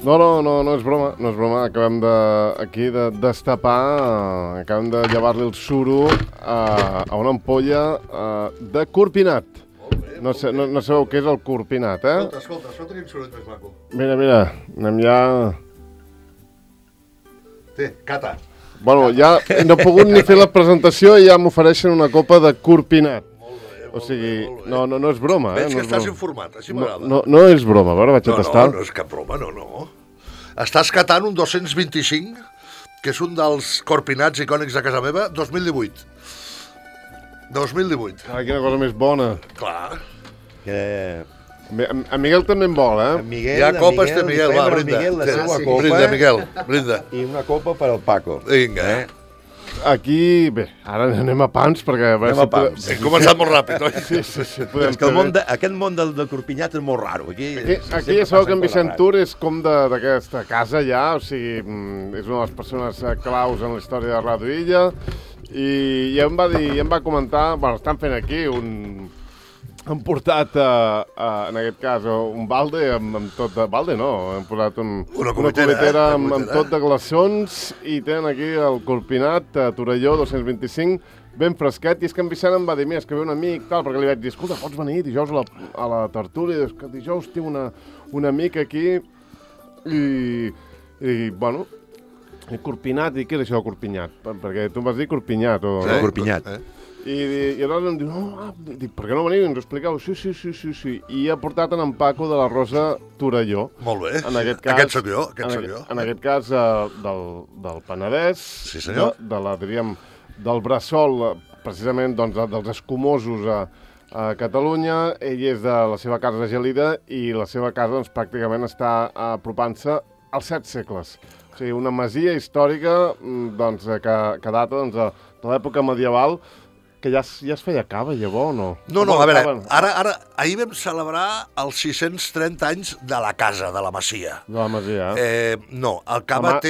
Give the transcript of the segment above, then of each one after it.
No és broma, acabem aquí de destapar, acabem de llevar-li el suro a una ampolla de corpinat. No sabeu què és el corpinat, eh? Escolta, quin soroll més maco. Mira, anem ja... Té, cata. Bueno, ja no he pogut ni fer la presentació i ja m'ofereixen una copa de corpinat. O sigui, no és broma, eh? Veig que estàs informat, així m'agrada. No és broma, a veure, vaig a tastar. No és cap broma, no. Estàs catant un 225, que és un dels corpinats icònics de casa meva, 2018. 2018. Ah, quina cosa més bona. Clar. En Miguel també en vol, eh? Hi ha copes de Miguel, va, brinda. La seva copa. Brinda, Miguel, brinda. I una copa per al Paco. Vinga, Aquí, bé, ara anem a pams, perquè... Anem a pams. Hem començat molt ràpid, oi? Sí. És que aquest món del corpinyat és molt raro. Aquí ja sabeu que en Vicent Tur és com d'aquesta casa ja, o sigui, és una de les persones claus en la història de Ràdio Illa, i em va comentar, bueno, estan fent aquí han portat, en aquest cas, un balde amb tot de... Balde no, han posat una comitera amb tot de glaçons i tenen aquí el corpinat Torelló 225 ben fresquet. I és que en Vicent em va dir, mira, és que ve un amic, tal, perquè li vaig dir, escolta, pots venir dijous a la tertúlia? És que dijous tinc un amic aquí i bueno, corpinat, i què és això de corpinat? Perquè tu em vas dir corpinyat. Sí, corpinyat. I aleshores em diu, dic, per què no veniu i ens ho expliqueu? Sí. I ha portat en Paco de la Rosa Torelló. Molt bé, en aquest cas, aquest sóc jo. En aquest cas, del Penedès, sí, senyor. Del Bressol, precisament dels escumosos a Catalunya. Ell és de la seva casa de Gelida i la seva casa pràcticament està apropant-se als 7 segles. O sigui, una masia històrica que data de l'època medieval, que ja es feia cava, llavors, o no? No, a veure, ahir vam celebrar els 630 anys de la casa, de la masia. De la masia, no, el cava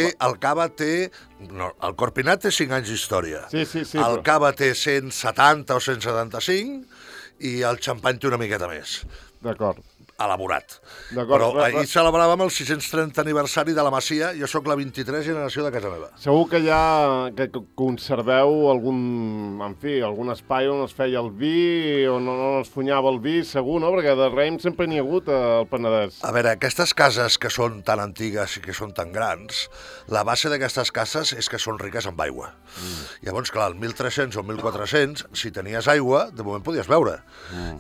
té... No, el corpinat té 5 anys d'història. Sí. El cava té 170 o 175 i el xampany té una miqueta més. D'acord. Elaborat. Però ahir celebràvem el 630 aniversari de la Masia, jo sóc la 23 generació de casa meva. Segur que que conserveu algun espai on es feia el vi, on no es funyava el vi, segur, no? Perquè de raïm sempre n'hi ha hagut al Penedès. A veure, aquestes cases que són tan antigues i que són tan grans, la base d'aquestes cases és que són riques amb aigua. Llavors, clar, el 1300 o 1400, si tenies aigua, de moment podies beure.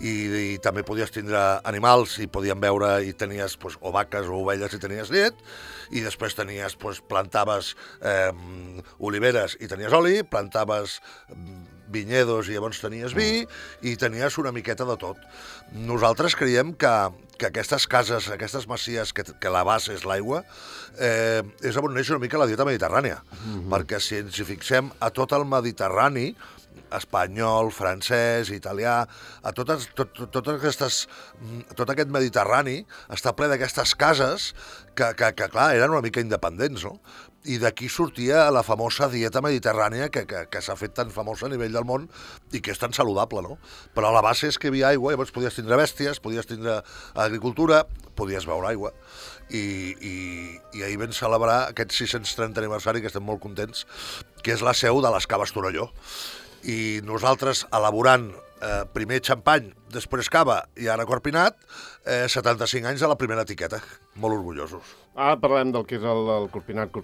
I també podies tindre animals i podien veure, i tenies o vaques o ovelles i tenies llet, i després tenies, plantaves oliveres i tenies oli, plantaves vinyedos i llavors tenies vi, i tenies una miqueta de tot. Nosaltres creiem que aquestes cases, aquestes masies, que la base és l'aigua, és on neix una mica la dieta mediterrània, perquè si ens hi fixem a tot el Mediterrani, espanyol, francès, italià, tot aquest Mediterrani està ple d'aquestes cases que, clar, eren una mica independents, no? I d'aquí sortia la famosa dieta mediterrània que s'ha fet tan famosa a nivell del món i que és tan saludable, no? Però la base és que hi havia aigua, llavors podies tindre bèsties, podies tindre agricultura, podies beure aigua. I ahir vam celebrar aquest 630 aniversari, que estem molt contents, que és la seu de les Caves Torelló. I nosaltres, elaborant primer xampany, després cava i ara corpinat, 75 anys de la primera etiqueta. Molt orgullosos. Ara parlem del que és el corpinat,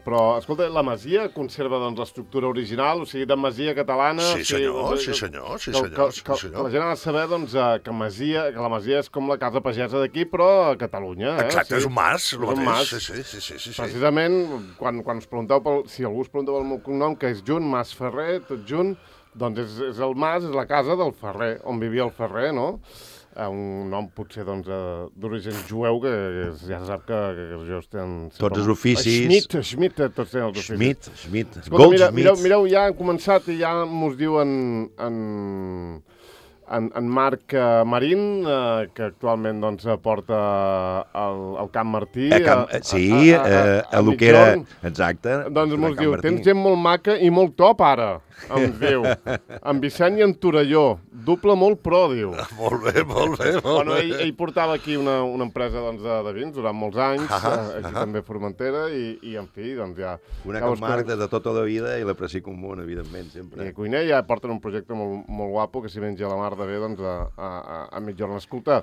però, escolta, la masia conserva l'estructura original, o sigui, de masia catalana... Sí, senyor. Que la gent ha de saber, que la masia és com la casa pagesa d'aquí, però a Catalunya. Exacte, és un mas, el mateix. Sí. Precisament, quan us pregunteu, si algú us pregunteu el meu cognom, que és Junt, Mas Ferrer, tot junt, doncs és el mas, és la casa del Ferrer, on vivia el Ferrer, no? Un nom potser d'origen jueu, que ja se sap que els jueus tenen... Tots els oficis... Schmidt, tots tenen els oficis. Schmidt. Escolta, mireu, ja han començat i ja mos diuen en Marc Marín, que actualment doncs, porta el Camp Martí. A lo que era... Exacte. Doncs mos diu, tens gent molt maca i molt top ara, em diu. En Vicent i en Torelló, doble molt pro, diu. Molt bé. Bueno, ell portava aquí una empresa doncs, de vins durant molts anys, aquí també a Formentera, i en fi, doncs ja... Una Can Marc de tota la vida i l'aprecio comú, evidentment, sempre. I a Cuiner ja porten un projecte molt guapo, que s'hi menja la mar de bé doncs, a mitjorn. Escolta,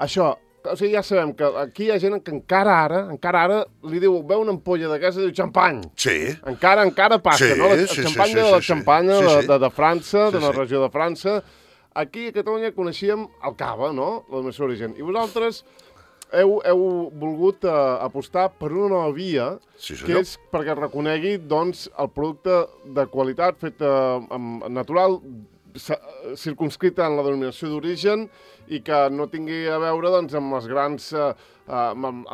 això, o sigui, ja sabem que aquí hi ha gent que encara ara li diu, veu una ampolla de gas i diu xampany. Sí. Encara passa, no? El xampany de la xampanya de França, d'una regió de França. Aquí a Catalunya coneixíem el cava, no? La seu origen. I vosaltres heu volgut apostar per una nova via, que és perquè reconegui doncs, el producte de qualitat fet natural, circunscrita en la denominació d'origen i que no tingui a veure doncs, amb les grans amb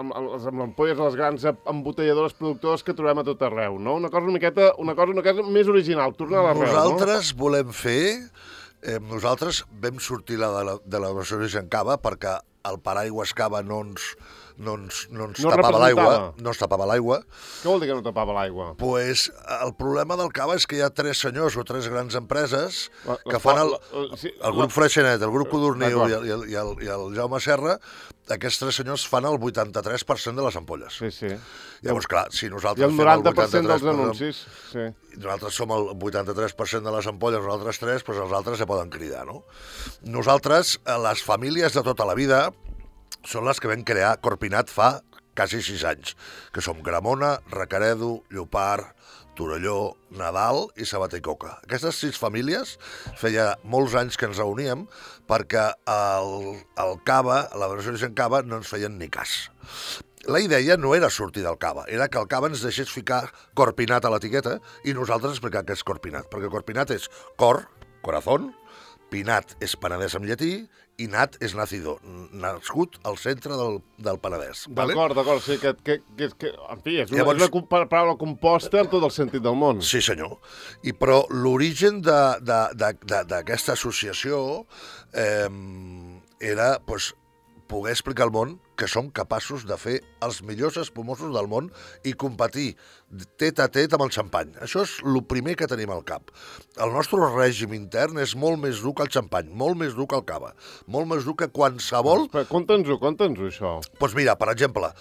ampolles de les grans embotelladores productores que trobem a tot arreu, no? Una cosa una cosa més original, tornar a l'arrel, no? Nosaltres volem fer... nosaltres vam sortir de la versió d'origen cava perquè el paraigües cava no ens tapava l'aigua. No ens tapava l'aigua. Què vol dir que no tapava l'aigua? Pues el problema del cava és que hi ha 3 senyors o 3 grans empreses que fan el grup Freixenet, el grup Codorniu i el Jaume Serra. Aquests 3 senyors fan el 83% de les ampolles. Sí. Llavors, clar, si nosaltres fem el 90% dels anuncis. Sí. Nosaltres som el 83% de les ampolles, nosaltres 3, doncs els altres ja poden cridar, no? Nosaltres, les famílies de tota la vida, són les que vam crear Corpinat fa quasi 6 anys, que som Gramona, Recaredo, Llopart, Torelló, Nadal i Sabater i Coca. Aquestes 6 famílies feia molts anys que ens reuníem perquè el cava, la versió d'origen cava, no ens feien ni cas. La idea no era sortir del cava, era que el cava ens deixés ficar Corpinat a l'etiqueta i nosaltres explicar què és Corpinat, perquè Corpinat és cor, corazón, Pinat és Penedès en llatí i Nat és nacido, nascut al centre del Penedès. D'acord, sí, que en fi, és una paraula composta en tot el sentit del món. Sí, senyor. Però l'origen d'aquesta associació era poder explicar al món que som capaços de fer els millors espumosos del món i competir tet a tet amb el xampany. Això és el primer que tenim al cap. El nostre règim intern és molt més dur que el xampany, molt més dur que el cava, molt més dur que qualsevol... Conta'ns-ho, això. Doncs mira, per exemple,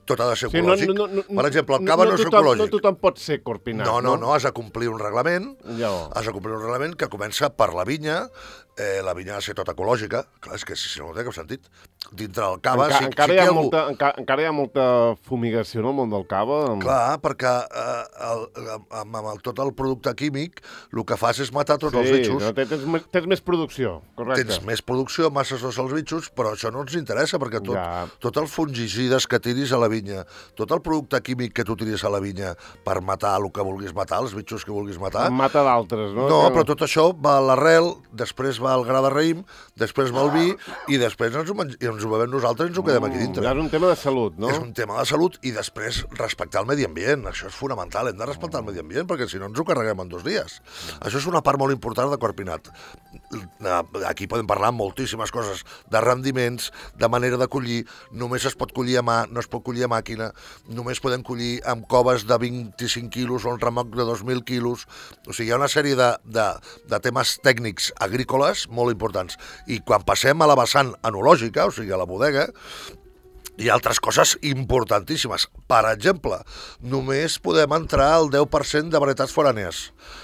tot ha de ser ecològic. Per exemple, el cava no és ecològic. No tothom pot ser corpinat, no? No, has de complir un reglament, que comença per la vinya, la vinya ha de ser tota ecològica, clar, és que si no té cap sentit. Dintre del cava... Encara hi ha molta fumigació en el món del cava. Clar, perquè amb tot el producte químic el que fas és matar tots els bitxos. Sí, tens més producció, correcte. Tens més producció, masses els bitxos, però això no ens interessa, perquè tot els fungicides que tiris a la vinya, tot el producte químic que tu tiris a la vinya per matar el que vulguis matar, els bitxos que vulguis matar... Mata d'altres, no? No, però tot això va a l'arrel, després va al gra de raïm, després va al vi, i després ens ho bevem nosaltres i ens ho quedem aquí dintre. És un tema de salut, no? És un tema de salut i després respectar el medi ambient. Això és fonamental, hem de respectar el medi ambient perquè si no ens ho carreguem en 2 dies. Això és una part molt important de Corpinat. Aquí podem parlar moltíssimes coses, de rendiments, de manera de collir, només es pot collir a mà, no es pot collir a màquina, només podem collir amb coves de 25 quilos o un remoc de 2.000 quilos. O sigui, hi ha una sèrie de temes tècnics agrícoles molt importants. I quan passem a la vessant enològica, o sigui, a la bodega, hi ha altres coses importantíssimes. Per exemple, només podem entrar al 10% de varietats forànies.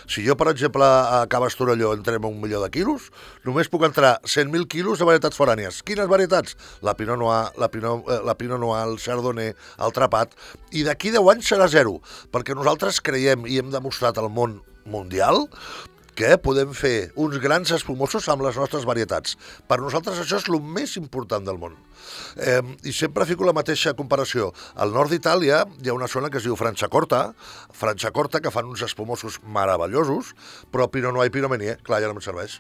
Si jo, per exemple, a Caves Torelló entrem a 1 milió de quilos, només puc entrar 100.000 quilos de varietats forànies. Quines varietats? La Pinot Noir, la Pinot Noir, el Chardonnay, el Trapat. I d'aquí 10 anys serà 0, perquè nosaltres creiem i hem demostrat al món mundial que podem fer uns grans espumosos amb les nostres varietats. Per nosaltres això és el més important del món. I sempre fico la mateixa comparació. Al nord d'Itàlia hi ha una zona que es diu Franciacorta, que fan uns espumosos meravellosos, però Pinot Noir i Pinot Meunier, clar, ja no em serveix,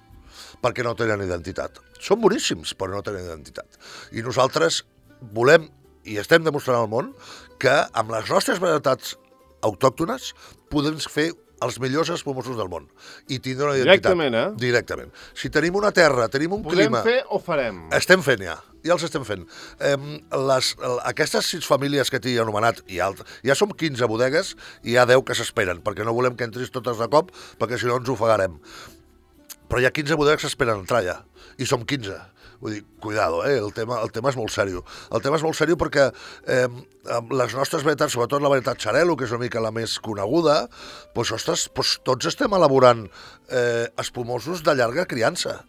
perquè no tenen identitat. Són boníssims, però no tenen identitat. I nosaltres volem, i estem demostrant al món, que amb les nostres varietats autòctones podem fer els millors espumosos del món i tindre una identitat. Directament, Directament. Si tenim una terra, tenim un clima... Podem fer o farem? Estem fent ja els estem fent. Aquestes 6 famílies que t'he anomenat, ja som 15 bodegues i hi ha 10 que s'esperen, perquè no volem que entris totes de cop, perquè si no ens ofegarem. Però hi ha 15 bodegues que esperen entrar ja, i som 15. Vull dir, cuidado, el tema és molt seriós. El tema és molt seriós perquè les nostres varietats, sobretot la varietat Xarel·lo, que és una mica la més coneguda, doncs, ostres, tots estem elaborant espumosos de llarga criança.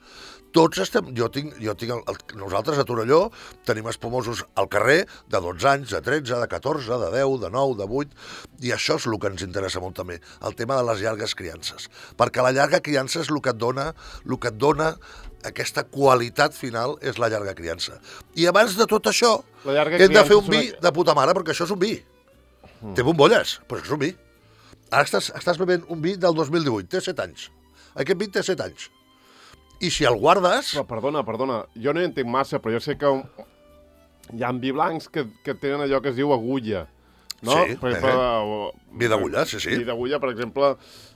Tots estem... Nosaltres a Torelló tenim espumosos al carrer de 12 anys, de 13, de 14, de 10, de 9, de 8, i això és el que ens interessa molt també, el tema de les llargues criances. Perquè la llarga criança és el que et dona aquesta qualitat final, és la llarga criança. I abans de tot això, hem de fer un vi de puta mare, perquè això és un vi. Té bombolles, però això és un vi. Ara estàs bevent un vi del 2018, té 7 anys. Aquest vi té 7 anys. I si el guardes... Però perdona, jo no hi entenc massa, però jo sé que hi ha vi blancs que tenen allò que es diu agulla, no? Sí, vi d'agulla, sí. Vi d'agulla, per exemple,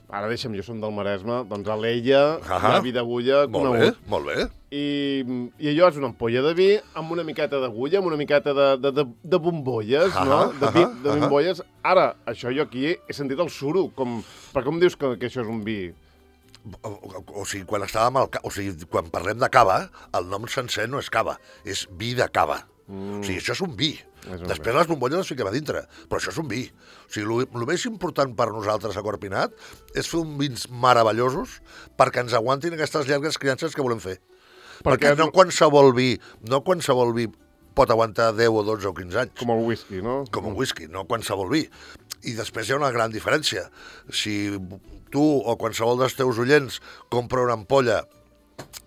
ara deixa'm, jo som del Maresme, doncs a l'Ella hi ha vi d'agulla conegut. Molt bé. I allò és una ampolla de vi amb una miqueta d'agulla, amb una miqueta de bombolles, no? De bombolles. Ara, això jo aquí he sentit el suro, per com dius que això és un vi? O sigui, quan parlem de cava, el nom sencer no és cava, és vi de cava. O sigui, això és un vi. Després les bombolles les fiquem a dintre, però això és un vi. O sigui, el més important per nosaltres a Corpinat és fer uns vins meravellosos perquè ens aguantin aquestes llargues criances que volem fer. Perquè no qualsevol vi pot aguantar 10 o 12 o 15 anys. Com el whisky, no? Com un whisky, no qualsevol vi. I després hi ha una gran diferència. Si tu o qualsevol dels teus oients compra una ampolla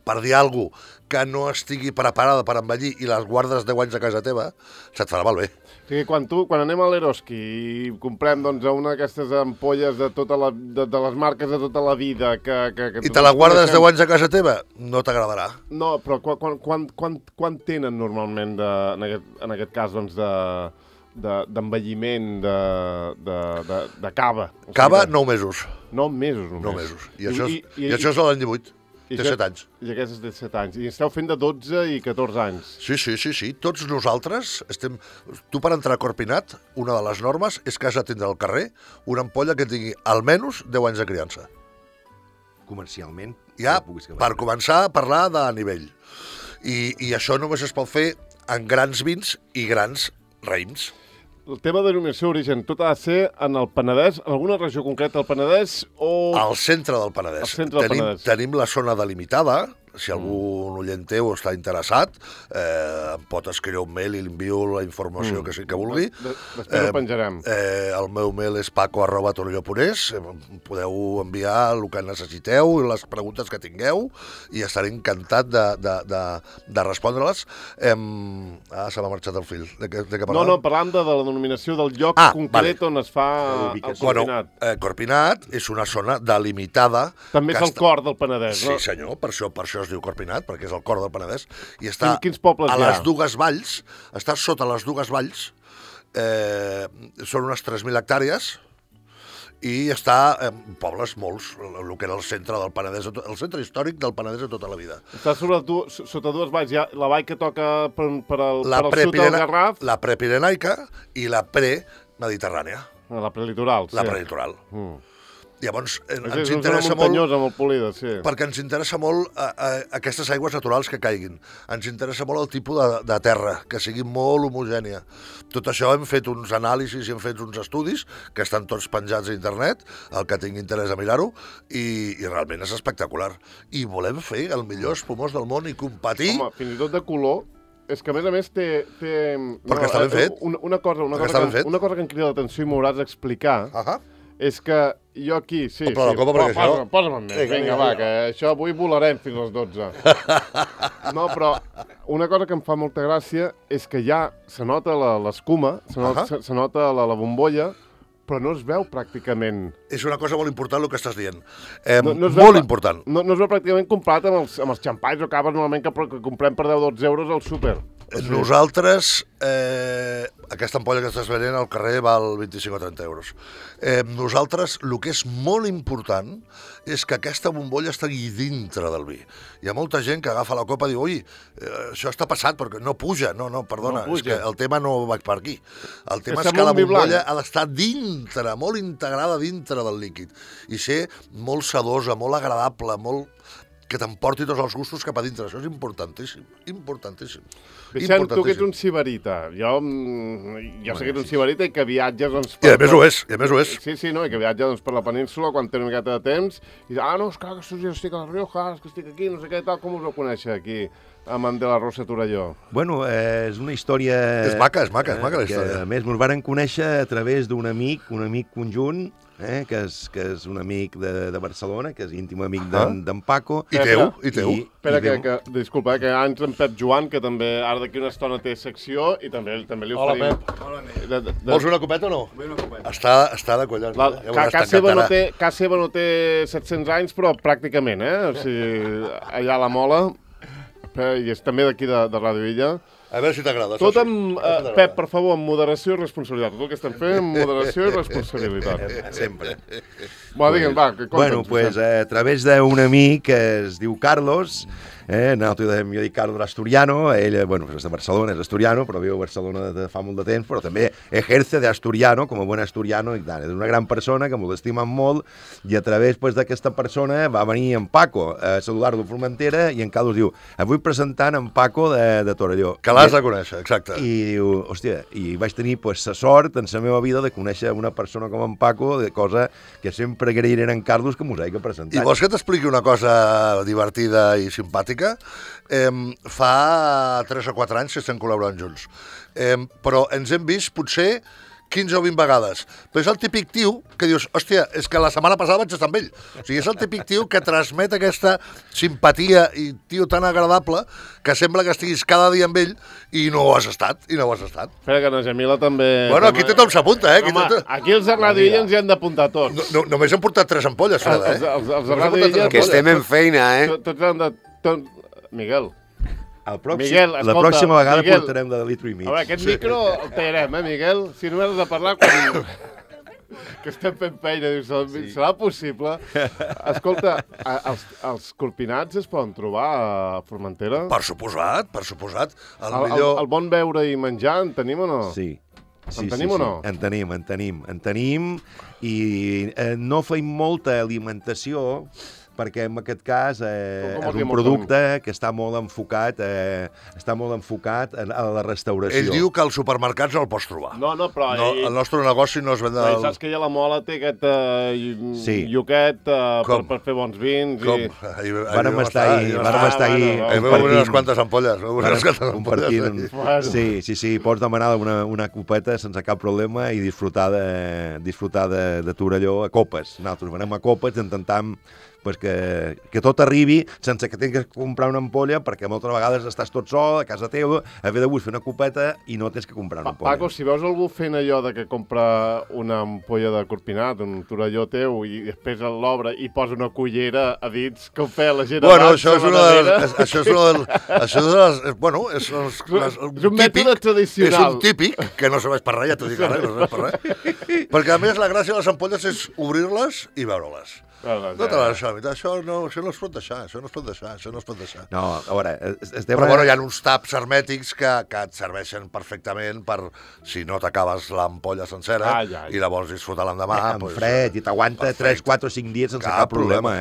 per dir alguna cosa que no estigui preparada per envellir i les guardes 10 anys a casa teva, se't farà malbé. O sigui, quan anem a l'Eroski i comprem una d'aquestes ampolles de les marques de tota la vida... I te la guardes 10 anys a casa teva, no t'agradarà. No, però quan tenen normalment, en aquest cas, doncs, d'envelliment de cava? Cava, 9 mesos. 9 mesos només. 9 mesos. I això és de l'any 18. Té 7 anys. I aquest és de 7 anys. I esteu fent de 12 i 14 anys. Sí. Tots nosaltres estem... Tu, per entrar a Corpinat, una de les normes és que has de tindre al carrer una ampolla que tingui almenys 10 anys de criança. Comercialment. Ja, per començar a parlar de nivell. I això només es pot fer en grans vins i grans raïms. El tema de denominació d'origen, tot ha de ser en el Penedès, en alguna regió concreta del Penedès o... Al centre del Penedès. Tenim la zona delimitada. Si algun oient teu està interessat, em pot escriure un mail i li envio la informació que vulgui. Després ho penjarem. El meu mail és paco@torelló.es. Podeu enviar el que necessiteu, les preguntes que tingueu, i estaré encantat de respondre-les. Se m'ha marxat el fil. De què parlàvem? No, parlàvem de la denominació del lloc concret on es fa el Corpinat. Corpinat és una zona delimitada. També és el cor del Penedès, no? Sí, senyor, per això es diu Corpinat, perquè és el cor del Penedès, i està Quins pobles a les dues valls, està sota les dues valls, són unes 3.000 hectàrees, i està en pobles molts, el que era el centre del Penedès, el centre històric del Penedès de tota la vida. Està sota dues valls, hi ha la vall que toca per al sud del Garraf. La prepirenaica i la premediterrània. La prelitoral, sí. La prelitoral. Llavors, ens interessa molt polida, sí. Perquè ens interessa molt aquestes aigües naturals que caiguin. Ens interessa molt el tipus de terra, que sigui molt homogènia. Tot això hem fet uns anàlisis i hem fet uns estudis que estan tots penjats a internet, el que tingui interès a mirar-ho, i realment és espectacular. I volem fer el millor espumós del món i competir... Home, fins i tot de color... És que, a més té... Perquè està ben fet. Una cosa que em crida l'atenció i m'hauràs d'explicar... És que jo aquí... Sí, posa'm en més. Vinga, va, que això avui volarem fins a les 12. No, però una cosa que em fa molta gràcia és que ja se nota l'escuma, se nota la bombolla, però no es veu pràcticament és una cosa molt important el que estàs dient. No es Molt important. No es veu pràcticament comparat amb els xampalls o caves normalment que comprem per 10-12 euros al súper. Nosaltres, aquesta ampolla que estàs venent al carrer val 25 o 30 euros. Nosaltres, el que és molt important és que aquesta bombolla estigui dintre del vi. Hi ha molta gent que agafa la copa i diu, ui, això està passat perquè no puja. No, perdona, és que el tema no va per aquí. El tema és que la bombolla ha d'estar dintre, molt integrada dintre del líquid i ser molt sedosa, molt agradable, molt que t'emporti tots els gustos cap a dintre. Això és importantíssim, importantíssim. Vicent, tu que ets un sibarita. Jo sé que ets un sibarita i que viatges... Doncs, I a més ho és, Sí, no, i que viatges doncs, per la península quan té una miqueta de temps i no, és clar, que jo estic a la Rioja, que estic aquí, no sé què, tal, com us ho conèixer aquí, amb en de la Rosa Torelló? Bueno, és una història... És maca la història. Que, a més, ens varen conèixer a través d'un amic conjunt, que és un amic de Barcelona, que és íntim amic d'en Paco. I teu. Espera, disculpa, que ara entra en Pep Joan, que també ara d'aquí una estona té secció i també li oferim... Hola, Pep. Hola, vols una copeta o no? Vull una copeta. Està de collons. Casa seva no té 700 anys, però pràcticament, O sigui, allà a la Mola, i és també d'aquí de Ràdio Illa. A veure si t'agrada. Tot amb, Pep, per favor, amb moderació i responsabilitat. Tot el que estem fent, amb moderació i responsabilitat. Sempre. Bueno, digue'm, Bueno, pues a través d'un amic que es diu Carlos, nosaltres jo dic Carlos l'Asturiano, ell, bueno, és de Barcelona, és asturiano, però viu a Barcelona de fa molt de temps, però també ejerce de asturiano, com a bon asturiano, i tant. És una gran persona que m'ho estimen molt, i a través d'aquesta persona va venir en Paco a saludar-lo a Formentera, i en Carlos diu, avui presentant en Paco de Torelló. Que l'has de conèixer, exacte. I diu, hòstia, i vaig tenir la sort en la meva vida de conèixer una persona com en Paco, de cosa que sempre agrairé a en Carlos que m'ho hagi presentat. I vols que t'expliqui una cosa divertida i simpàtica? Fa 3 o 4 anys que estem col·laborant junts, però ens hem vist potser 15 o 20 vegades. Però és el típic tio que dius, hòstia, és que la setmana passada vaig estar amb ell. O sigui, és el típic tio que transmet aquesta simpatia i tio tan agradable que sembla que estiguis cada dia amb ell i no ho has estat, Espera, que na Gemila també... Bueno, aquí tothom s'apunta, Home, aquí els de Ràdio Illa ens hi han d'apuntar tots. Només hem portat 3 ampolles, Freda, Els de Ràdio Illa... Que estem en feina, Tots han de... Miguel... Miguel, escolta, la pròxima vegada portarem de litro i mig. A veure, aquest micro el tallarem, Miguel? Si només has de parlar quan... que estem fent feina, dius, serà possible? Escolta, els corpinats es poden trobar a Formentera? Per suposat. El bon beure i menjar en tenim o no? Sí. En tenim o no? En tenim, i no feim molta alimentació, perquè en aquest cas és un producte que està molt enfocat a la restauració. Ell diu que als supermercats no el pots trobar. No, però... El nostre negoci no es ven del... Saps que ja la Mola té aquest lloquet per fer bons vins. Com? Vàrem estar ahí unes quantes ampolles. Compartint. Sí, pots demanar una copeta sense cap problema i disfrutar de Torelló a copes. Nosaltres venem a copes, intentem que tot arribi sense que tinguis que comprar una ampolla, perquè moltes vegades estàs tot sol a casa teva, haver de fer una copeta i no tens que comprar una ampolla. Paco, si veus algú fent allò de que compra una ampolla de corpinat, un Torelló teu, i després l'obre i posa una cullera a dits, com feia la gent abans. Bueno, és un mètode tradicional. És un típic, que no serveix per res, ja t'ho dic ara, no serveix per res. Perquè a més la gràcia de les ampolles és obrir-les i veure-les. No te l'has deixat, això no es pot deixar. No, a veure... Però bueno, hi ha uns taps hermètics que et serveixen perfectament per, si no t'acabes l'ampolla sencera i la vols disfrutar l'endemà... En fred, i t'aguanta 3, 4 o 5 dies sense cap problema.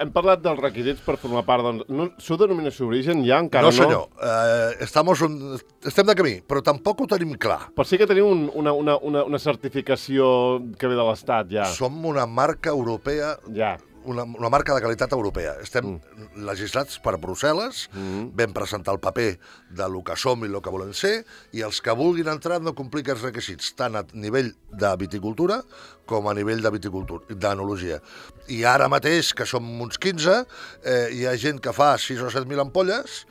Hem parlat dels requisits per formar part, doncs... Su denominació d'origen ja encara no? No, senyor. Estem de camí, però tampoc ho tenim clar. Però sí que tenim una certificació que ve de l'Estat, ja. Som una marca europea... Ja. Una marca de qualitat europea. Estem legislats per Brussel·les, vam presentar el paper de lo que som i el que volem ser, i els que vulguin entrar han de complir aquests requisits, tant a nivell de viticultura com a nivell d'enologia. I ara mateix, que som uns 15, hi ha gent que fa 6 o 7.000 ampolles,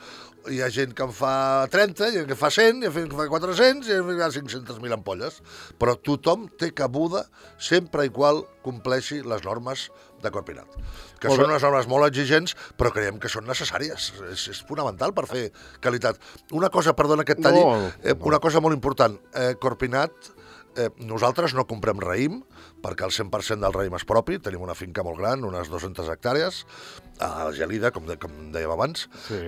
hi ha gent que en fa 30, hi ha gent que fa 100, hi ha gent que fa 400, i hi ha 500.000 ampolles. Però tothom té cabuda sempre i qual compleixi les normes de Corpinat. Que són unes normes molt exigents, però creiem que són necessàries. És fonamental per fer qualitat. Una cosa, perdona que et talli, una cosa molt important. Corpinat, nosaltres no comprem raïm, perquè el 100% del raïm és propi, tenim una finca molt gran, unes 200 hectàrees, a Gelida, com dèiem abans. Sí.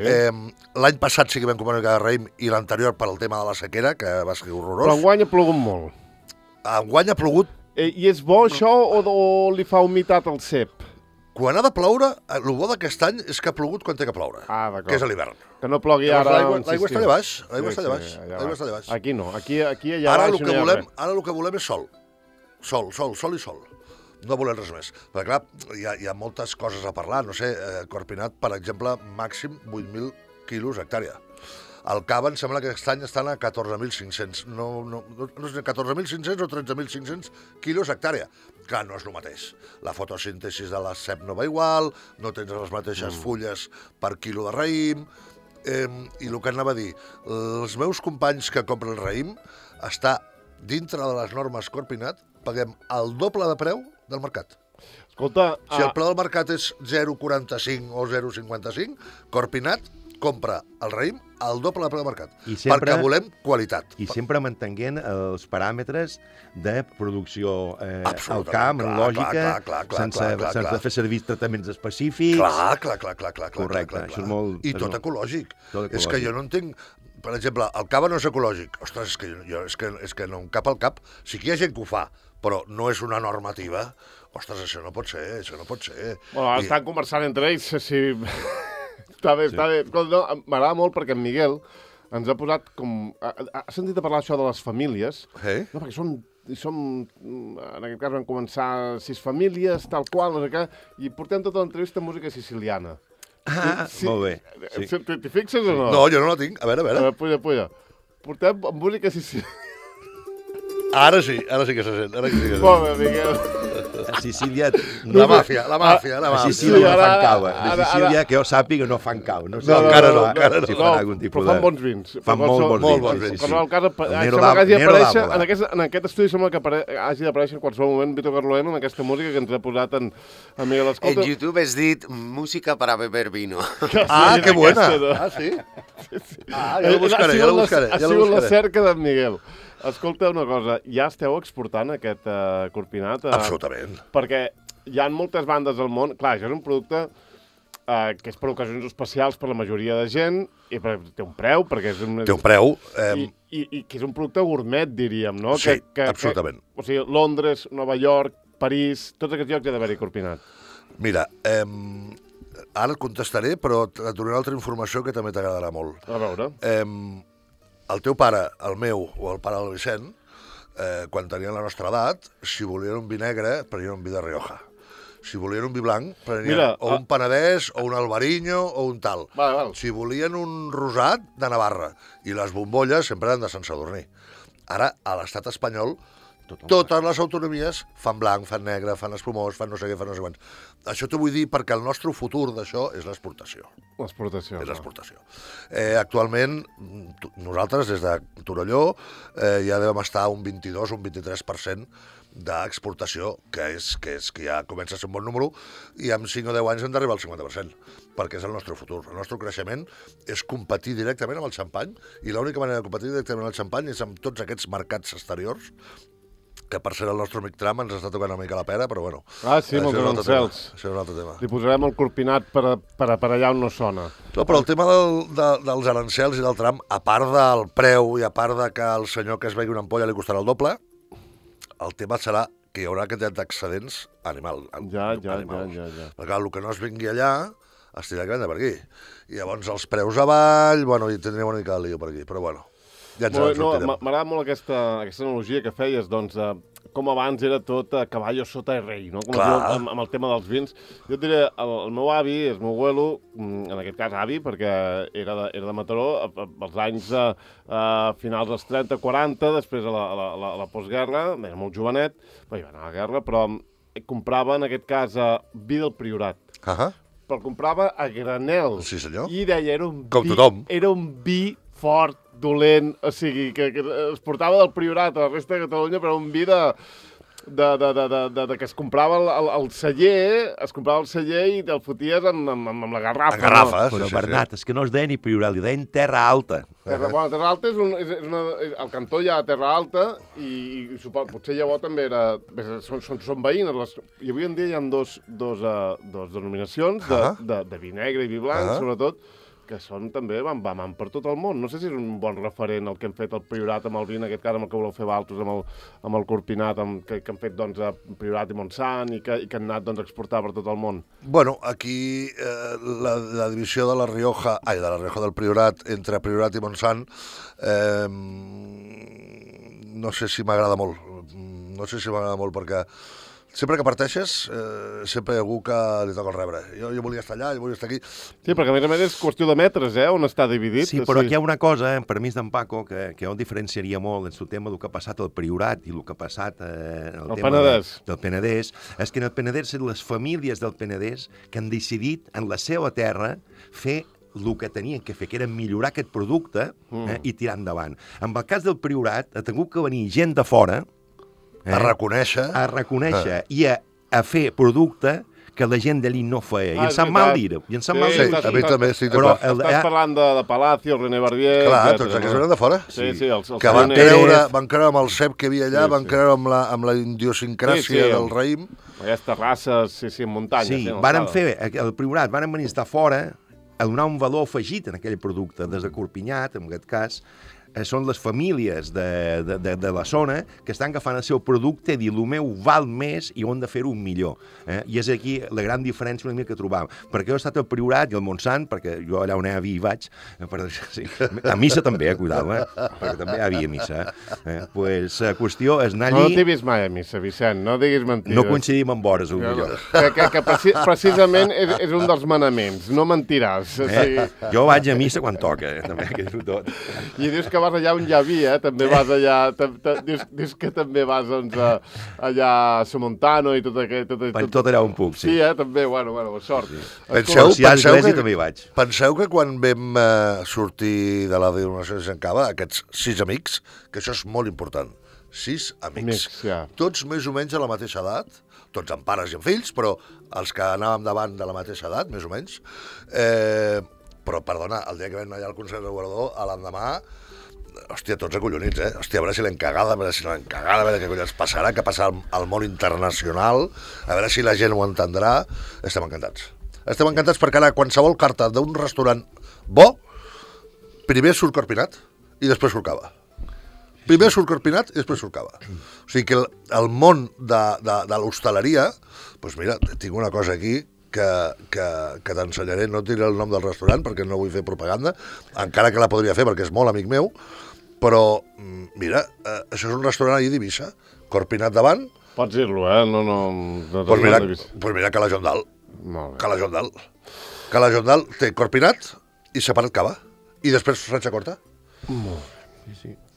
L'any passat sí que vam comprar una mica de raïm, i l'anterior per al tema de la sequera, que va ser horrorós. Però enguany ha plogut molt. Enguany ha plogut. I és bo això o li fa humitat al cep? Quan ha de ploure, el bo d'aquest any és que ha plogut quan té que ploure, que és a l'hivern. Que no plogui ara... L'aigua està allà baix, l'aigua està allà baix. Aquí no, aquí allà baix no hi ha res. Ara el que volem és sol. Sol i sol. No volem res més. Perquè clar, hi ha moltes coses a parlar. No sé, Corpinat, per exemple, màxim 8.000 quilos hectàrea. El cava em sembla que aquest any estan a 14.500. No sé, 14.500 o 13.500 quilos hectàrea. Clar, no és el mateix. La fotosíntesi de la cep no va igual, no tens les mateixes fulles per quilo de raïm, i el que anava a dir, els meus companys que compren raïm està dintre de les normes Corpinat, paguem el doble de preu del mercat. Escolta... Si el preu del mercat és 0,45 o 0,55, Corpinat compra el raïm al doble de preu del mercat, perquè volem qualitat. I sempre mantenint els paràmetres de producció al camp, en lògica, sense fer servir tractaments específics. Clar. Correcte, això és molt... I tot ecològic. És que jo no entenc... Per exemple, el cava no és ecològic. Ostres, és que no em cap al cap. Sí que hi ha gent que ho fa, però no és una normativa. Ostres, això no pot ser. Bueno, estan conversant entre ells, si... Està bé. M'agrada molt perquè en Miguel ens ha posat com... Ha sentit a parlar això de les famílies? No, perquè som... En aquest cas vam començar 6 famílies, tal qual, no sé què, i portem tota l'entrevista amb música siciliana. Molt bé. T'hi fixes o no? No, jo no la tinc. A veure. Puja. Portem música siciliana. Ara sí que se sent. Molt bé, Miguel. A Sicília... La màfia. A Sicília no fan cava. A Sicília, que jo sàpiga, no fan cau. No, encara no. Però fan bons vins. Fan molt bons vins. Però el cas sembla que hagi d'aparèixer, en aquest estudi sembla que hagi d'aparèixer en qualsevol moment Vito Carloeno amb aquesta música que ens ha posat en Miguel Escolta. En YouTube has dit música para beber vino. Ah, que buena. Ah, sí? Ah, ja lo buscaré. Ha sigut la cerca d'en Miguel. Escolta una cosa, ja esteu exportant aquest Corpinat? Absolutament. Perquè hi ha moltes bandes al món... Clar, això és un producte que és per ocasions especials per la majoria de gent, i té un preu, perquè és un... Té un preu. I que és un producte gourmet, diríem, no? Sí, absolutament. O sigui, Londres, Nova York, París, tots aquests llocs hi ha d'haver-hi Corpinat. Mira, ara et contestaré, però et donaré altra informació que també t'agradarà molt. A veure. El teu pare, el meu, o el pare del Vicent, quan tenien la nostra edat, si volien un vi negre, prenien un vi de Rioja. Si volien un vi blanc, prenien un Penedès, o un Albariño, o un tal. Val. Si volien un rosat, de Navarra. I les bombolles sempre eren de Sant Sadurní. Ara, a l'estat espanyol, totes les autonomies fan blanc, fan negre, fan espumós, fan no sé què, fan no sé quants. Això t'ho vull dir perquè el nostre futur d'això és l'exportació. L'exportació. És l'exportació. Actualment, nosaltres, des de Torelló, ja devem estar un 22 o un 23% d'exportació, que ja comença a ser un bon número, i en 5 o 10 anys hem d'arribar al 50%, perquè és el nostre futur. El nostre creixement és competir directament amb el xampany, i l'única manera de competir directament amb el xampany és amb tots aquests mercats exteriors, que per ser el nostre amic Trump ens està tocant una mica la pera, però bueno. Ah, sí, molts anuncials. Això és un altre tema. Li posarem el Corpinat per allà on no sona. No, però el tema dels arancels i del tram, a part del preu i a part de que el senyor que es begui una ampolla li costarà el doble, el tema serà que hi haurà quantitat d'excedents animals. Ja. Perquè el que no es vingui allà es tindrà que vendre per aquí. I llavors els preus avall, bueno, i tindríem una mica de lío per aquí, però bueno. Ja ens en sortirem. M'agrada molt aquesta analogia que feies, doncs, com abans era tot caballo sota el rei, no? Com amb el tema dels vins. Jo et diré, el meu avi, el meu abuelo, en aquest cas avi, perquè era de Mataró, als anys finals dels 30-40, després a la postguerra, era molt jovenet, va anar a la guerra, però comprava, en aquest cas, vi del Priorat. però el comprava a granel. Sí, senyor. I deia, Com tothom. Era un vi fort, dolent, o sigui, que es portava del Priorat a la resta de Catalunya, però un vi que es comprava el celler, i te'l foties amb la garrafa. En garrafes. Però, Bernat, és que no es deia ni Priorat, li deien Terra Alta. Terra Alta al cantó hi ha Terra Alta i potser llavors també era... Són veïnes. I avui en dia hi ha dos denominacions de vi negre i vi blanc, sobretot, que són també van per tot el món. No sé si és un bon referent el que hem fet el Priorat amb el vi, en aquest cas amb el que voleu fer Valtos, amb el Corpinat, que han fet doncs, a Priorat i Montsant i que han anat doncs, a exportar per tot el món. Bueno, aquí la divisió de la Rioja del Priorat entre Priorat i Montsant no sé si m'agrada molt perquè sempre que parteixes, sempre hi ha algú que li toca el rebre. Jo volia estar allà, jo volia estar aquí. Sí, perquè a més és qüestió de metres, on està dividit. Sí, però aquí hi ha una cosa, amb permís d'en Paco, que jo diferenciaria molt en el tema del que ha passat al Priorat i el que ha passat en el tema del Penedès, és que en el Penedès són les famílies del Penedès que han decidit en la seva terra fer el que tenien que fer, que era millorar aquest producte i tirar endavant. En el cas del Priorat ha hagut que venir gent de fora a reconèixer i a fer producte que la gent d'allí no feia. I ens sap mal dir-ho. A mi també estic d'acord. Estàs parlant de Palacio, René Barbier... Clar, tots aquests eren de fora. Sí, que van creure amb el cep que hi havia allà, van creure amb la idiosincràsia del raïm. Aquestes terrasses, en muntanya. Sí, varen fer, el Priorat, varen venir a estar fora a donar un valor afegit en aquell producte, des de Corpinyat, en aquest cas, són les famílies de la zona que estan agafant el seu producte i dir, el meu val més i ho hem de fer-ho millor. I és aquí la gran diferència una mica que trobam. Perquè jo he estat al Priorat i al Montsant, perquè jo allà on hi ha vi hi vaig, a missa també, cuidao, perquè també hi ha vi a missa. Pues la qüestió és anar allí... No t'he vist mai a missa, Vicent, no diguis mentides. No coincidim amb hores, millor. Que precisament és un dels manaments, no mentiràs. Jo vaig a missa quan toca, també, que és tot. I dius que vas allà on hi ha vi, també vas allà... Dius que també vas allà a Somontano i tot aquest... Tot allà on puc, sí. Sí, també, bueno, sort. Penseu que quan vam sortir de la denominació de Sant Cava, aquests 6 amics, que això és molt important, 6 amics, tots més o menys a la mateixa edat, tots amb pares i amb fills, però els que anàvem davant de la mateixa edat, més o menys, però, perdona, el dia que vam anar allà al Consell Regulador, a l'endemà, hòstia, tots acollonits, Hòstia, a veure si l'hem cagada, a veure si no l'hem cagada, a veure què collons passarà, què passarà al món internacional, a veure si la gent ho entendrà. Estem encantats. Estem encantats perquè ara qualsevol carta d'un restaurant bo, primer surt Corpinat i després surt Cava. Primer surt Corpinat i després surt Cava. O sigui que el món de l'hostaleria, doncs mira, tinc una cosa aquí que t'ensenyaré, no et diré el nom del restaurant perquè no vull fer propaganda, encara que la podria fer perquè és molt amic meu, però, mira, això és un restaurant allà d'Eivissa, Corpinat davant... Pots dir-lo, Doncs mira Cala Jondal. Cala Jondal té Corpinat i separat Cava. I després Franxa Corta.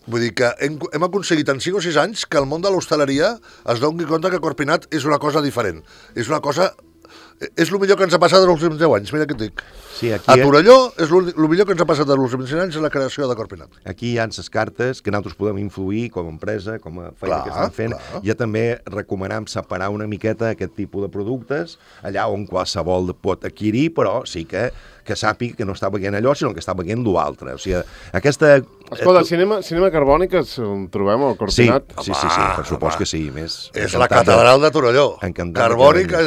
Vull dir que hem aconseguit en 5 o 6 anys que el món de l'hostaleria es doni compte que Corpinat és una cosa diferent. És una cosa... És el millor que ens ha passat en els últims 10 anys, mira què et dic. Sí, a Torelló és el millor que ens ha passat en els últims 5 anys és la creació de Corpinat. Aquí hi ha les cartes que nosaltres podem influir com a empresa, com a feina que estem fent. Ja també recomanem separar una miqueta aquest tipus de productes, allà on qualsevol pot adquirir, però sí que sàpiga que no està veient allò, sinó que està veient l'altre. O sigui, aquesta... Escolta, cinema carbònic ens trobem al Corpinat? Sí, per supost que sí. És la catedral de Torelló. Carbònica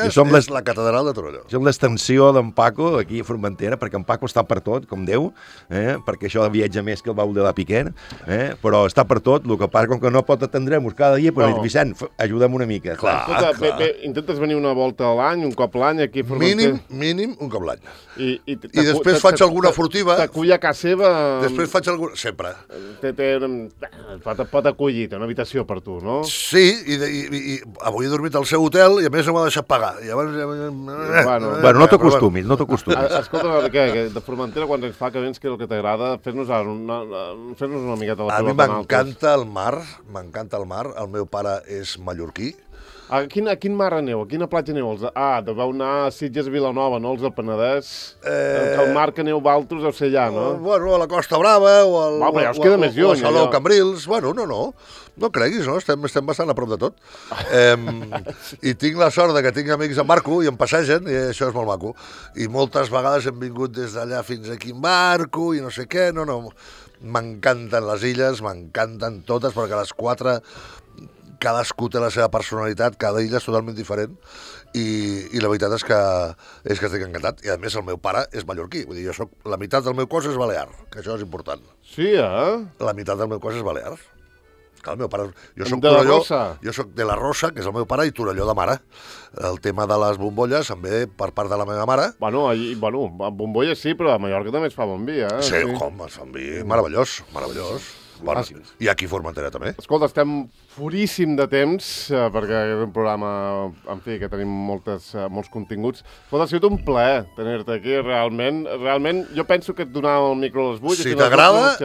és la catedral de Torelló. És l'extensió d'en Paco aquí a Formentera, perquè en Paco està per tot, com Déu, perquè això viatja més que el baul de la Piquer, però està per tot, el que passa com que no pot atendre'ns cada dia, però Vicent, ajuda'm una mica. Escolta, intentes venir una volta a l'any, un cop l'any aquí a Formentera? Mínim un cop l'any. I després faig alguna furtiva. T'acull a casa seva... Després faig alguna... Sempre. Pot acollir, té una habitació per tu, no? Sí, i avui he dormit al seu hotel i a més no m'ha deixat pagar. Bueno, no t'acostumis, no t'acostumis. Escolta, de Formentera, quants anys fa que vens, que és el que t'agrada? Fes-nos una miqueta la pelota. A mi m'encanta el mar, el meu pare és mallorquí, A quin mar aneu? A quina platja aneu? Deveu anar a Sitges, Vilanova, no? Els del Penedès. El mar que aneu valtros deu ser allà, no? Bueno, a la Costa Brava o al... Va, però ja us queda més lluny, o a Salou allò. Cambrils. Bueno, no creguis, no? Estem bastant a prop de tot. I tinc la sort de que tinc amics en barco i em passegen, i això és molt maco. I moltes vegades hem vingut des d'allà fins aquí en barco i no sé què, no. M'encanten les illes, m'encanten totes, perquè les 4 cadascú té la seva personalitat, cada illa és totalment diferent i la veritat és que estic encantat. I a més el meu pare és mallorquí, vull dir, la meitat del meu cos és balear, que això és important. Sí, La meitat del meu cos és balear. Clar, el meu pare... Jo soc De la Torelló, Rosa. jo soc de la Rosa, que és el meu pare, i Torelló de mare. El tema de les bombolles em ve per part de la meva mare. Bueno, a Bombolles sí, però a Mallorca també es fa bon vi, Sí, com, es fan vi meravellós. Bueno, i aquí a Formentera també. Escolta, estem furíssim de temps, perquè és un programa, en fi, que tenim molts continguts. Escolta, ha sigut un plaer tenir-te aquí, realment. Realment, jo penso que et donava el micro a les 8.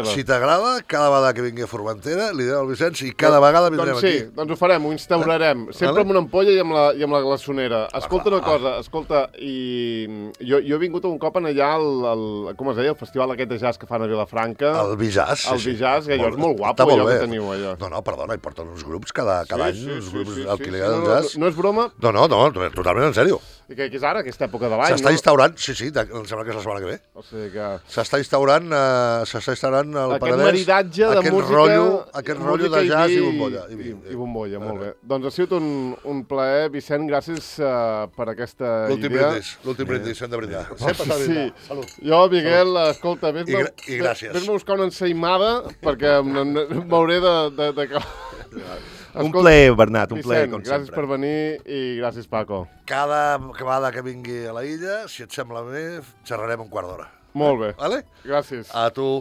Si t'agrada, cada vegada que vingui a Formentera, li diré al Vicenç i cada vegada vindrem aquí. Doncs sí, doncs ho farem, ho instaurarem. Sempre amb una ampolla i amb la glaçonera. Escolta una cosa, jo he vingut un cop allà com es deia, el festival aquest de jazz que fan a Vilafranca. El Bijazz. El Bijazz, que allò és molt guapo, allò que teniu allà. No, perdona, hi porten uns grups cada any, uns grups al que li agrada el jazz. No és broma? No, totalment en sèrio. I què és ara, aquesta època de l'any? S'està instaurant, sí, em sembla que és la setmana que ve. O sigui que... S'està instaurant el Penedès. Aquest maridatge de música... Aquest rotllo de jazz i bombolla. I bombolla, molt bé. Doncs ha sigut un plaer, Vicent, gràcies per aquesta idea. L'últim brindis, hem de brindar. Sempre s'ha de brindar. Salut. Jo, Miguel, escolta, I gràcies. Vés-me a buscar una ensaïmada, perquè m'hauré de... Un plaer, Bernat, un plaer, com gràcies sempre. per venir i gràcies, Paco. Cada vegada que vingui a la illa, si et sembla bé, xerrarem un quart d'hora. Molt bé. Vale? Gràcies. A tu.